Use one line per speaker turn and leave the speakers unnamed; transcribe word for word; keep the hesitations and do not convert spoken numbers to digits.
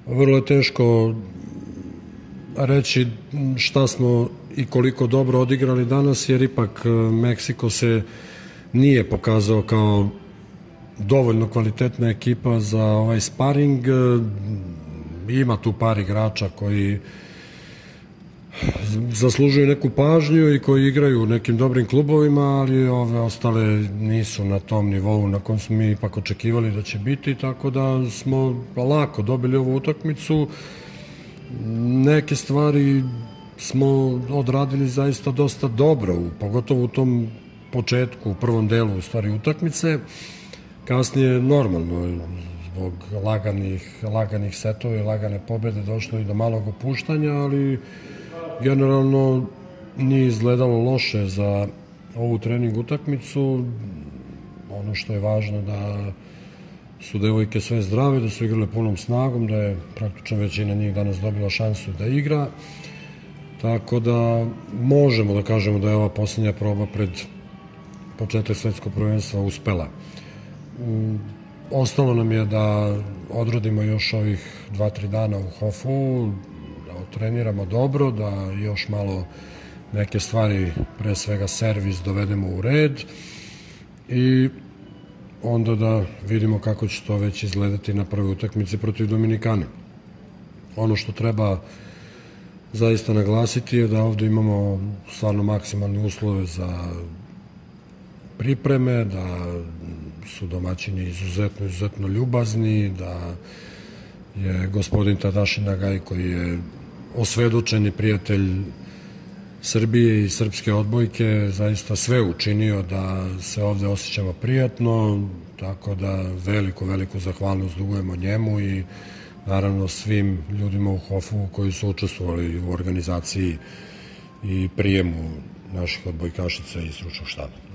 Vrlo je teško reći šta smo i koliko dobro odigrali danas, jer ipak Meksiko se nije pokazao kao dovoljno kvalitetna ekipa za ovaj sparing. Ima tu par igrača koji zaslužuju neku pažnju i koji igraju u nekim dobrim klubovima, ali ove ostale nisu na tom nivou na kojem smo mi ipak očekivali da će biti, tako da smo lako dobili ovu utakmicu. Neke stvari smo odradili zaista dosta dobro, pogotovo u tom početku, u prvom delu u stvari utakmice. Kasnije normalno, zbog laganih, laganih setova i lagane pobede došlo i do malog opuštanja, ali generalno nije izgledalo loše za ovu trening utakmicu. Ono što je važno da su devojke sve zdrave, da su igrale punom snagom, da je praktično većina njih danas dobila šansu da igra. Tako da možemo da kažemo da je ova posljednja proba pred početak svetskog prvenstva uspela. Ostalo nam je da odradimo još ovih dva tri dana u Hofu, da treniramo dobro, da još malo neke stvari, pre svega servis, dovedemo u red i onda da vidimo kako će to već izgledati na prvoj utakmici protiv Dominikane. Ono što treba zaista naglasiti je da ovde imamo stvarno maksimalne uslove za pripreme, da su domaćini izuzetno, izuzetno ljubazni, da je gospodin Tadaši Nagaj, koji je osvedočeni prijatelj Srbije i srpske odbojke, zaista sve učinio da se ovde osjećamo prijatno, tako da veliku, veliku zahvalnost dugujemo njemu i naravno svim ljudima u Hofu koji su učestvovali u organizaciji i prijemu naših odbojkašica i stručnog štaba.